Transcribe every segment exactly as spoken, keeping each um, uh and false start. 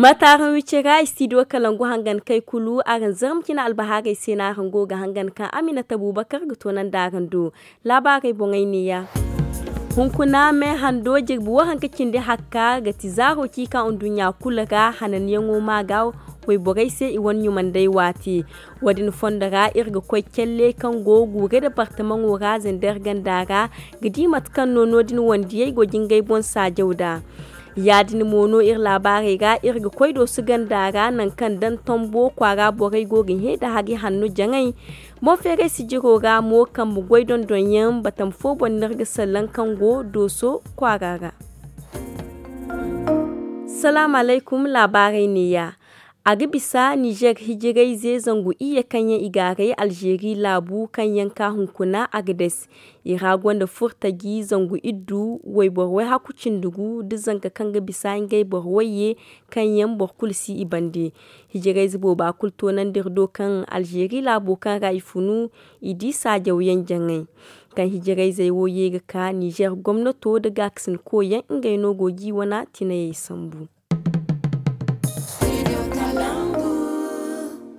Mate araŋ wi cira istidiyo kalangu hangan kay kulu araŋ zarma cine albahaarey se no araŋ go ga hangan kaŋ aminata buubakar ga toonandi araŋ do. Laabaarey boŋey neeya. Hunkuna me hando jirbi waranka cindi hakka ga ti zaaro ci ka nduɲɲa kulu ra hananyaŋo ma ga wayborey se i wane ɲumandey waati. Wo- din fondo ra iri ga koy calle kaŋ go guure departamaŋo ra zander ganda ra ga di mate kaŋ no no- din wandiyey go ga ngey boŋ saajaw nd'a. Ya- din mo no iri laabaarey ra iri ga koy doosu ganda ra nangu kaŋ daŋ tombo kwaara borey go ga hẽ nda hari hanno jaŋay. Boŋ feeray sijiro ra mo kambe goy dondonyaŋ batama fo boŋ no iri ga salaŋ kaŋ go dooso kwaara ra. Salaamu alaykum. Laabaarey neeya. A ga bisa nizer hijirayze zangu iyye kaŋ yaŋ i gaaray alzeeri laabu kaŋ yaŋ ka hunkuna agades. I ra gonda furtaji zangu iddu wayboro wayhaku cindi gu nda zanka kaŋ ga bisa ngey boro wayye kaŋ yaŋ boro kulu si i bande. Hijirayze booba kulu toonandi iri do kaŋ alzeeri laabo kaŋ ra i funu i di saajawyaŋ jaŋay. Kaŋ hijirayzey wo ye ga ka nizer gomnato nda gaakasinkoyaŋ ngey no go ga i wana tinayey sambu.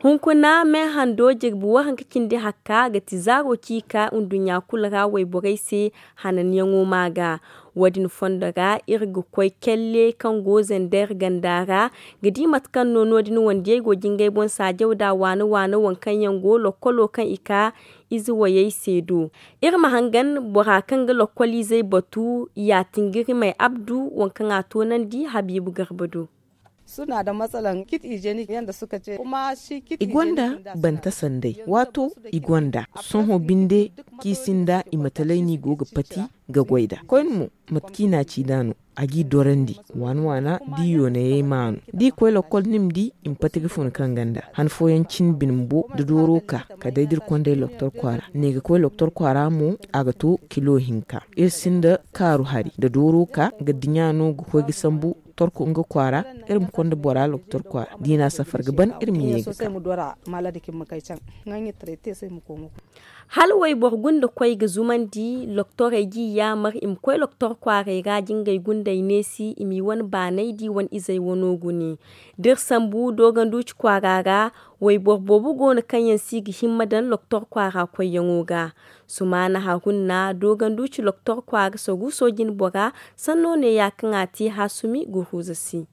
Hunkuna me hando jirbi waranka cindi hakka ga ti zaaro ci ka nduɲɲa kulu ra wayborey se hananyaŋo ma ga. Wo- din fondo ra iri ga koy kelle kaŋ go zander ganda ra ga di mate kaŋ no no- din wandiyey go ga ngey boŋ saajaw nd'a waana waana waŋ kaŋ yaŋ go lokkolo kaŋ i ka ize wayey se do. Iri ma hangan bora kaŋ ga lokkoliizey batu ya tingirimey abdu waŋ kaŋ a toonandi habiibu garba do. I gonda banta sanday waato i gonda sohõ binde kaŋ i sinda i matalay no i go ga pati ga goy nd'a koyne mo. Mate kaŋ i n'a ci nd'a no a g'i dorandi waana waana da i yoonayey ma no da i koy lokkol ni ma di i ma pati ga fun kaŋ ganda han fooyaŋ cin bine bumbo nda dooro ka kala day da iri kond'ey loktor kwaara ne ga koy loktor kwaara mo a ga to kilo hinka. Iri sinda kaaru hari nda dooro ka ga diɲa no ga koy ga sambu torko nga kwaara. Iri ma konda bora loktor kwaara da i n'a safar ga ban iri ma ye ga ka. Hala wayboro gunda koy ga zumandi loktorey g'i yaamar i ma koy loktor kwaaray ra da ngey gundey neesi i m'i wane baanay da i wane izey wano gune. Da iri sambu dooganduuci kwaara ra wayboro boobo go no kaŋ yaŋ si ga himma daŋ loktor kwaara koyyaŋo ga. Sumaana harunna dooganduuci loktor kwaara saruuso jinbora sanno neeya kaŋ a te haasumi guruuza se.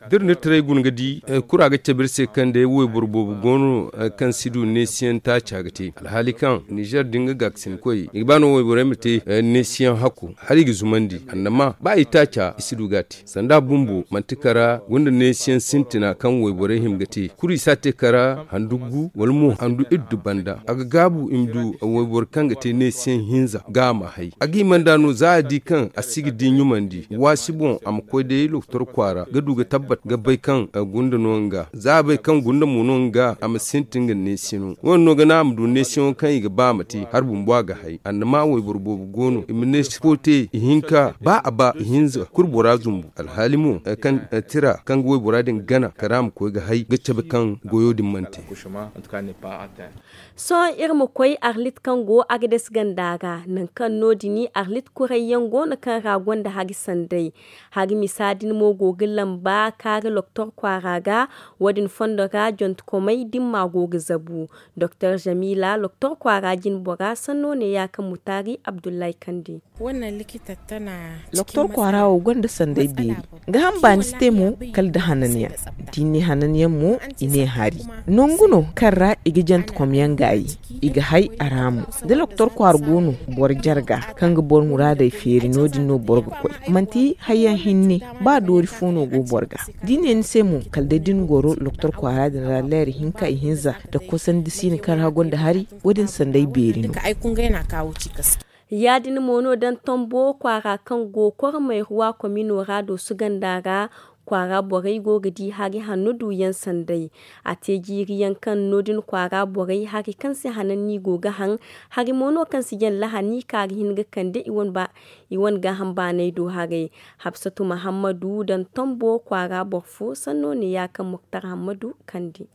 Da iri na iri taray guna ga di kura ga cabe iri se kaŋ day wayboro boobo go no kaŋ si du neesiyaŋ taaca ga te alhaali kaŋ nizer da nga gaakasinkoy i ga ba no wayborey ma te neesiyaŋ hakku hala i ga zumandi annama ba i taaca i si du ga a te. Sanda bumbo manti kara gunda neesiyaŋ sintina kaŋ wayborey hima ga te kuri si a te kara handu gu wala mo handu iddu banda a ga gaabu i ma du wayboro kaŋ ga te neesiyaŋ hinza ga a ma hay a ga hima nd'a no za a di kaŋ a si ga di ɲumandi waasi boŋ a ma koy day loktor kwaara ga du ga tabbat ga bay kaŋ gunda no nga za a bay kaŋ gunda mo no nga a ma sintin ga neesino wo- din no ga naŋ a ma du neesiyaŋo kaŋ i ga ba a ma te hari bumbo a ga hay annama wayboro boobo go no i ma neesi fo te ihinka ba a ba ihinza kulu bora zumbu alhaali mo kaŋ tira kaŋ ga waybora din gana kala a ma koy ga hay ga cabe kaŋ goyo din mana te. Sohõ iri ma koy arlit kaŋ go agades ganda ra nangu kaŋ no- din arlit kurayyaŋ go no kaŋ ra gonda hari sanday. Hari misa din mo go ga lamba kaari loktor kwaara ga wo- din fondo ra jontekomey dimma go ga zabu. Doktor jamila loktor kwaara jinbora sanno neeya kaŋ mutaari abdullahi kande. Loktor kwaara wo gonda sanday beeri ga hamba ni si te mo kala nda hananyaŋ da i ne hananyaŋ mo i ne hari. Nangu no kaŋ ra i ga jantekomyaŋ gaayi i ga hay a ra mo da loktor kwaara go no boro jarga kaŋ ga boro muraadey feeri no- din no boro ga koy manti hayyaŋ hinne ba doori fo no go boro ga da i ne ni se mo kala day da ni goro loktor kwaara din ra leera hinka ihinza nda kosandi siina kaŋ ra gonda hari wo- din sanday beeri no. Ya- din mo no daŋ tombo kwaara kaŋ go kormay ruwa komino ra doosu ganda ra kwaara borey go ga di hari hanno duuyaŋ sanday. A te jiiri yaŋ kaŋ no- din kwaara borey hari kaŋ se hananni go ga haŋ hari mo no kaŋ si jaŋ lahani kaŋ a ga hin ga kande i wane gaaham baanay do haray. Habsatu mahammadu daŋ tombo kwaara boro fo sanno neeya kaŋ muktar hammadu kande.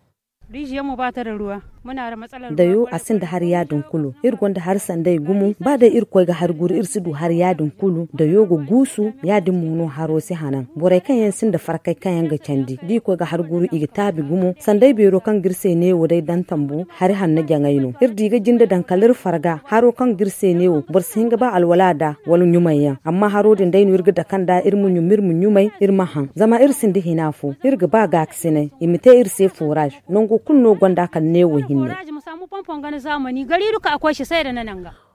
Dayo a sinda hari ya- din kulu. Iri gonda hari sanday gumo ba day iri koy ga hari guru iri si du hari ya- din kulu dayo ga guusu. Ya- din mo no haro si hanan borey kaŋ yaŋ sinda farkay kaŋ yaŋ ga candi da i koy ga hari guru i ga taabi gumo sanday beero kaŋ ga iri se neewo day daŋ tambu. Hari hanno jaŋay no iri di ga jinde daŋ kala iri farga haro kaŋ ga iri se neewo boro si hin ga ba alwala nd'a wala ɲumay yaŋ amma haro din day no iri ga dake nd'a iri ma ɲum iri ma ɲumay iri ma haŋ zama iri sinda hina fo. Iri ga ba gaakasinay i ma te iri se foraaz. Nango kulu no gonda kala neewo hinne.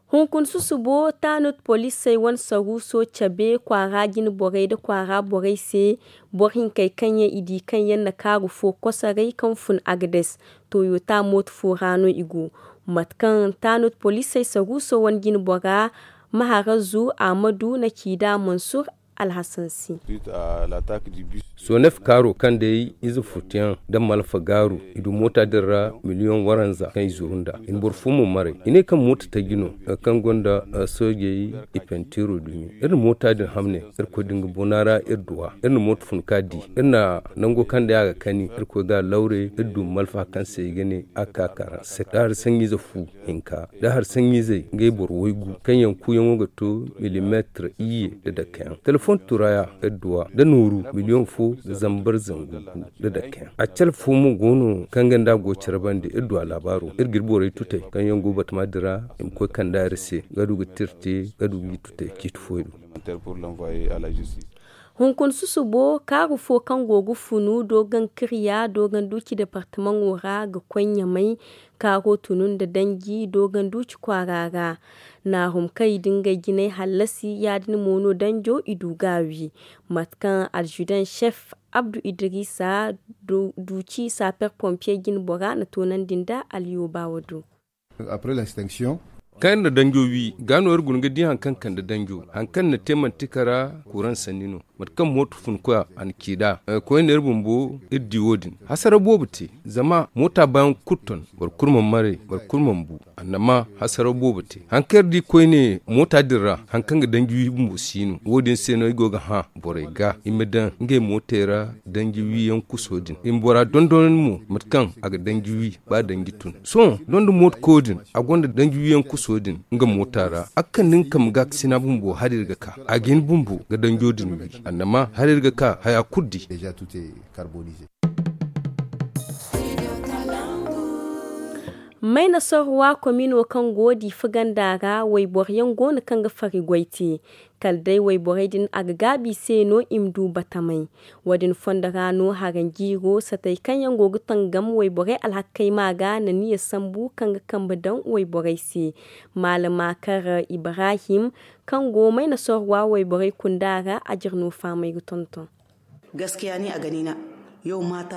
Hunkuna susubo tanut poliisey wane saruuso cabe kwaara jine borey nda kwaara borey se. Boro hinkey kaŋ yaŋ i di kaŋ yaŋ na kaaru fo kosoray kaŋ fun agades toyota mooto fo ra no i go. Mate kaŋ tanut poliisey saruuso wane jine bora maharazu ahmadu na ci nd'a mansur alhasan se. Sonef kaaro kaŋ day ize futuyaŋ nda malfa gaaru i du moota din ra miliyoŋ waranza kaŋ i zuru nd'a i na boro fo mo maray. I ne kaŋ moota taji no kaŋ gonda soojey i pentiiro dumi. Iri na moota din hamne irkoy din ga bona ra iri duwa iri na moota fun ka di. Iri na nango kaŋ day a ga kani irkoy ga a lawre iri du malfa kaŋ se i ga ne a ka karanse da hari saŋiize fu hinka da hari saŋiizey ngey boro waygu kaŋ yaŋ kuuyaŋo ga to milimeetir iyye nda dakeyaŋ telefoŋ turaya adduwa nda nooru miliyoŋ fo nda zambar zangu gu nda dakeyaŋ. A cala fo mo go no kaŋ ga nda a go care bande iri du a laabaaro iri ga iri borey tutey kaŋ yaŋ go batama din ra i ma koy kande a iri se ga du ga tira te ga du ga i tutey ciiti fooyaŋ. Hunkuna susubo kaaru fo kaŋ go ga funu doogan kirya doogan duuci departamaŋo ra ga koy ɲamay. Kaaro tunu nda danji doogan duuci kwaara ra. Naarum kaŋ i da ngey jinay hallasi ya- din mo no danjo i du ga a wi. Mate kaŋ alzidan cef abdu idrisa duuci saper pompiye jine bora na toonandi nda alyoobaawo do. Kaŋ iri na danjo wi ga no iri guna ga di hari kaŋ kande danjo hari kaŋ ni na te manti kara kuran sanni no. Mate kaŋ mooto fun koya a na ci nd'a koyne iri bumbo iri di wo- din hasara boobo te. Zama moota baayaŋ kulu ton boro kulu mana maray boro kulu mana bu. Annama hasara boobo te hari kaŋ iri di koyne moota din ra hari kaŋ ga danji wi bumbo si no wo- din se no iri go ga hã borey ga i ma daŋ ngey mootey ra danji wiyaŋ kuso din i ma bora dondonandi mo mate kaŋ a ga danji wi ba danji tun. Sohõ donda mooto koyo din a gonda danji wiyaŋ kuso din nga moota ra a ga kande nga kambe gaakasina bumbo hala iri ga ka a ga hin bumbo ga danjo din wi. Annama hala iri ga ka haya kulu di. Mayna sorwa komino kaŋ go diifa ganda ra wayboro yaŋ go no kaŋ ga fari goy te. Kala day wayborey din a ga gaabi i se no i ma du batamay. Wo- din fondo ra no haranjiiro satey kaŋ yaŋ go ga tangam wayborey alhakkey ma ga na niya sambu kaŋ ga kambe daŋ wayborey se. Maalama kar ibrahim kaŋ go mayna sorwa wayborey kunda ra a jire no faamay ga tonton.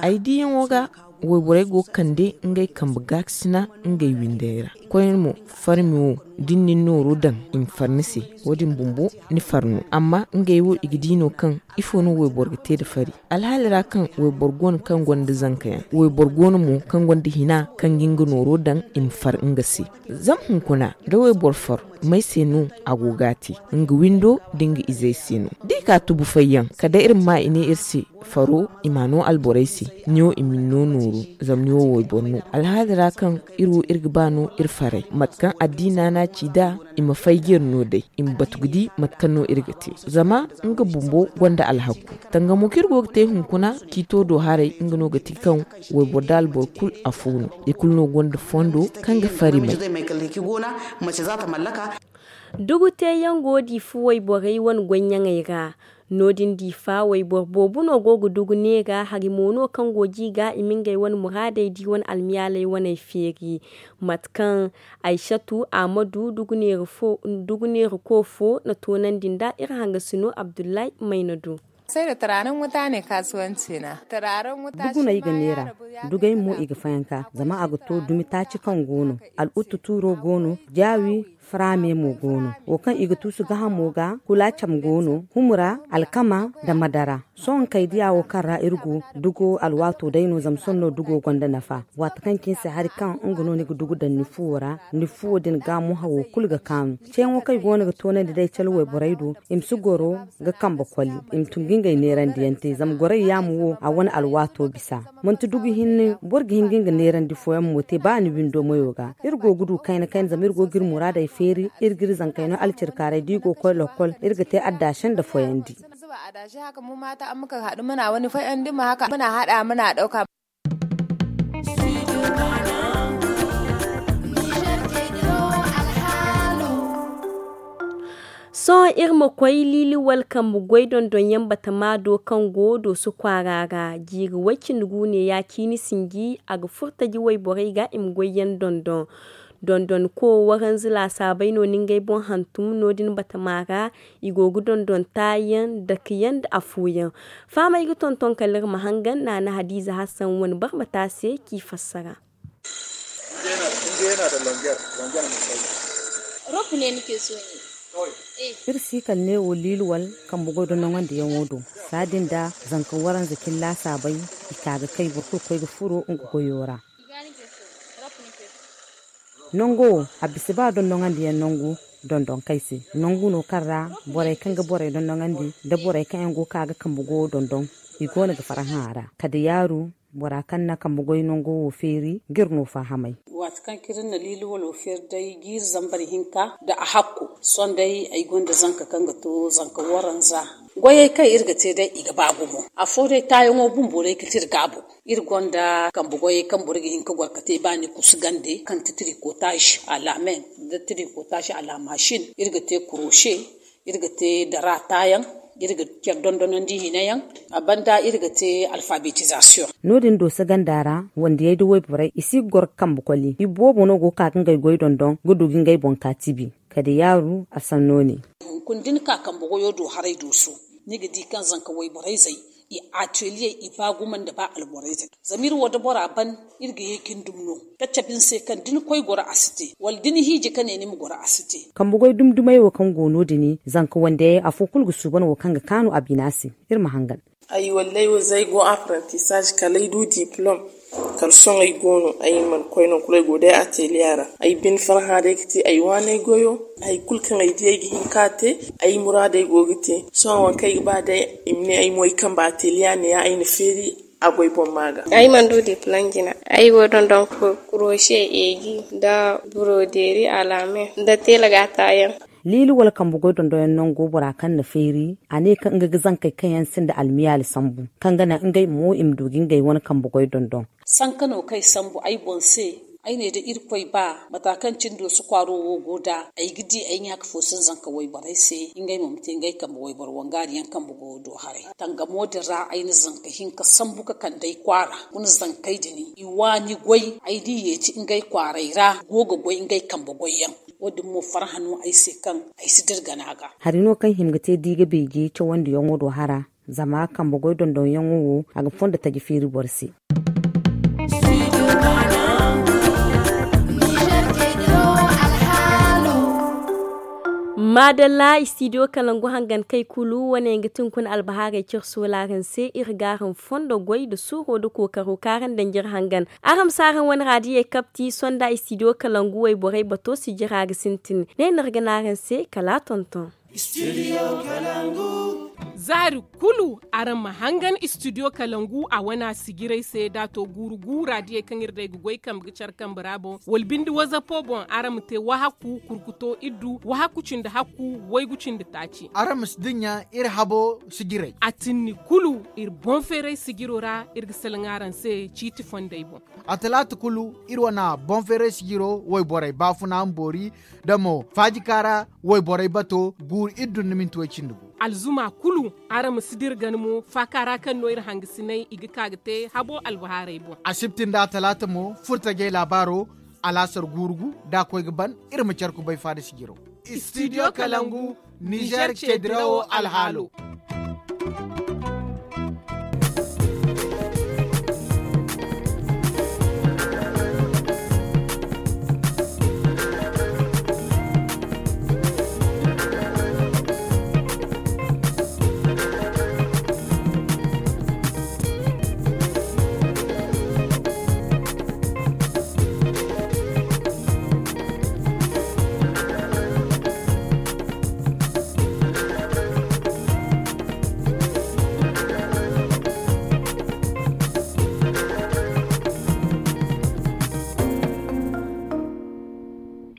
Ay diyaŋo ga wayborey go ga kande ngey kambe gaakasina ngey windey ra. Koyne mo farmi wo da ni na ni nooro daŋ i ma far ni se. Wo- din bumbo ni far no amma ngey wo i ga di no kaŋ ifo no wayboro ga te nda fari? Alhaali ra kaŋ wayboro go no kaŋ gonda zankayaŋ wayboro go no mo kaŋ gonda hina kaŋ ga nga nooro daŋ i ma far nga se. Zama hunkuna da wayboro far may se no a go ga a te? Nga windo da nga izey se no da i ka tubu fayyaŋ kala day iri ma ma i ne iri se faro i ma a no alborey se. Ni wo i ma ni no nooru zama ni wo wayboro no alhaali ra kaŋ iri wo iri ga ba no iri faray mate kaŋ addiina no a ci nd'a. I ma fay ga iri no day i ma batu ga di mate kaŋ no iri ga te zama nga bumbo gonda alhakku. Tangamo kaŋ iri go ga te hunkuna ciito do haray nga no ga ti kaŋ wayboro da alboro kulu afo no. I kulu no gonda fondo kaŋ ga fari may. Dugu teeyaŋ go diifa wayborey wane goyyaŋey ra. No- din diifa wayboro boobo no go ga dugu neera hari mo no kaŋ go ga i ga i ma ngey wane muraadey da i wane almiyaaley waney feeri. Mate kaŋ aysatu ahmadu dugu neera ko fo na toonandi nda iri hangasino abdullahi mayna do. Duguney ga neera dugey mo i ga fayanka zama a ga to dumi taaci kaŋ go no. Al'uttu tuuro go no jaawi. Faraame mo go no, wo kaŋ i ga tuusu gaahamo ga, kula cam go no, humura, alkama, nda madara. Sohõ kay diya wo kaŋ ra iri go, dugo alwaato day no, zama sohõ no dugo gonda nafa. Waati kaŋ cine se hari kaŋ nga no ni ga dugu daŋ ni fuwo ra, ni fuwo din ga mo hawo kulu ga kaanu. Ceeyaŋo kaŋ i goono ga toonandi day cale wayborey do, i ma si goro ga kambe koli, i ma tun ga ngey neerandiyaŋ te, zama gorey yaamo wo, a wane alwaato bisa. Manti dugu hinne, boro ga hin ga nga neerandi fooyaŋ mo te, ba ni windo mayo ga. Iri go ga du kayna-kayna, zama iri go ga iri muraadey feeri, iri ga iri zankey no alcirkaaray, da i go ga koy lokol, iri ga te addaashe nda fooyandi. Mana haɗa mana ɗauka. Sohõ iri ma koy liiliwal kambe goy dondonyaŋ batama do kaŋ go dooso kwaara ra. Jiiri way cindi gu ne ya ciini sinji, a ga furo taji wayborey ga i ma goyyaŋ dondon. Dondonko waranza laasaabey no na ngey boŋ hantum no- din batama ra. I go ga dondon taayaŋ, dakeyaŋ nda afooyaŋ. Fahamey ga tonton kala iri ma hangan naana hadiiza hassan wane barmata se k'i fassara. Iri si kala neewo liiliwal kambe goy dondoŋandiyaŋo do. Saadin da zanka waranza cine laasaabey, i ka ga kay boro kulu koy ga furo nga goyo ra. Nango wo, a bisa ba dondoŋandiyaŋ nangu dondonkey se. Nangu no kaŋ ra borey kaŋ ga borey dondoŋandi nda borey kaŋ yaŋ go ga ka ga kambe goyo dondon, i goono ga farhã a ra. Kala da yaaru, bora kaŋ na kambe goy nango wo feeri ga iri no fahamay. Waati kaŋ cine iri na liiliwalo feeri day jiiri zambar hinka nda a hakku, sohõ day ay gonda zanka kaŋ ga to zanka waranza. Goyey kaŋ iri ga te day, i ga ba gumo. Afo day, taayaŋo bumbo day ga ti iri gaabo. Iri gonda kambe goyey kaŋ boro ga hin ga goro ga te, ba ni kusu gande kaŋ ti trikotaaz a la men, nda trikotaaz a la masin. Iri ga te kurose, iri ga te dara taayaŋ, iri ga care dondonandi hina yaŋ. A banda iri ga te alfabetizasiyoŋ. No- din dooso ganda ra, wandiyey nda wayborey, i si ga goro ga kambe koli. I boobo no go ga ka ga ngey goy dondon ga du ga ngey boŋ ka tibi. Kala da yaaru, a sanno ne. Hunkuna da ni ka kambe goyo do haray dooso, ni ga di kaŋ zanka wayborey zey, i ateliye, i ba gumo nda ba alborey zey. Zama iri wo da bora ban, iri ga ye ka ni dumi no, ka cabe ni se kaŋ da ni koy goro a si te, wala da ni hiiji ka ne ni ma goro a si te. Kambe goy dumi-dumey wo kaŋ go no- din, zanka wandiyey afo kulu ga suuban wo kaŋ ga kaanu a bina se. Iri ma hangan. Ay wallay wo za ay go apprentissage kala ay du diplôme. Kala sohõ ay go no, ay mana koy no, kulu ay go day atelier ra. Ay bine farhã day ga te ay waaney goyo. Hay kulu kaŋ ay di ay ga hin ka te, ay muraadey go ga te. Sohõ waŋ kaŋ ay ga ba day, i ma ne ay mo ay kambe atelier ne ya ay na feeri a goy boŋ ma ga. Ay mana du diplôme jina. Ay go dondon kurose, eegi, nda broderie à la main, nda teela ga taayaŋ. Liili wala kambe goy dondonyaŋ nango bora kaŋ na feeri, a ne kaŋ nga ga zankey kaŋ yaŋ sinda almiyaali sambu, kaŋ ga naŋ ngey mo i ma du ga ngey wane kambe goy dondon. Sanka no kaŋ ay sambu ay boŋ se, ay ne da Irkoy ba, mata kaŋ cine dooso kwaaro wo go nd'a, ay ga di ay ɲaaka fo se zanka wayborey se, ngey mo ma te ngey kambe wayboro wangaariyaŋ kambe goyo do haray. Tangamo din ra ay na zanka hinka sambu ka kande ay kwaara, guna zankey din, i waani goy, ay di yeeti ngey kwaarey ra, go ga goy ngey kambe goyyaŋ. Wo-din mo farhã no ay se kaŋ ay si dira gana ga. Hari no kaŋ hima ga te da i ga beeje cawandiyaŋo do hara, zama kambe goy dondonyaŋo wo, a ga fondo taji feeri boro se. Maadalla, studio Kalangu hangan kay kulu, wane ga ti hunkuna albahaarey cire soolaaran se, iri ga araŋ fondo goy nda suuro nda kookaro kaŋ araŋ daŋ jire hangan. Araŋ ma si araŋ wane raadiyey kapti, sonda studio Kalangu wayborey bato sijira ga sintin. Ne no iri ga ne araŋ se, kala a tonton. Studio Kalangu. Zaari kulu araŋ ma hangan Studio Kalangu a wana sijirey se, da a to guuru gu raadiyey kaŋ iri day ga goy kambe ga care kambe ra boŋ, wala binde WhatsAppo boŋ, araŋ ma te wahakku kurkuto iddu, wahakku cindi hakku, waygu cindi taaci. Araŋ ma si dinya iri habo sijirey. A tinni kulu iri boŋ feeray sijiro ra, iri ga salaŋ araŋ se ciiti fondey boŋ. A talaata kulu, iri wana boŋ feeray sijiro wayborey baafuna ma boori, da mo faajika ra wayborey bato guuru iddu nda minti way cindi gu. Alzuma kulu, araŋ ma si dira gana mo, faaka ra kaŋ no iri hangasiney i ga ka ga te habo albahaarey boŋ. Asibti nda talaata mo, furtajey laabaaro, alaasar guuru gu, da a koy ga ban, iri ma care kubay faada sijiro. Studio Kalangu, Niger ce dirawo alhaalo.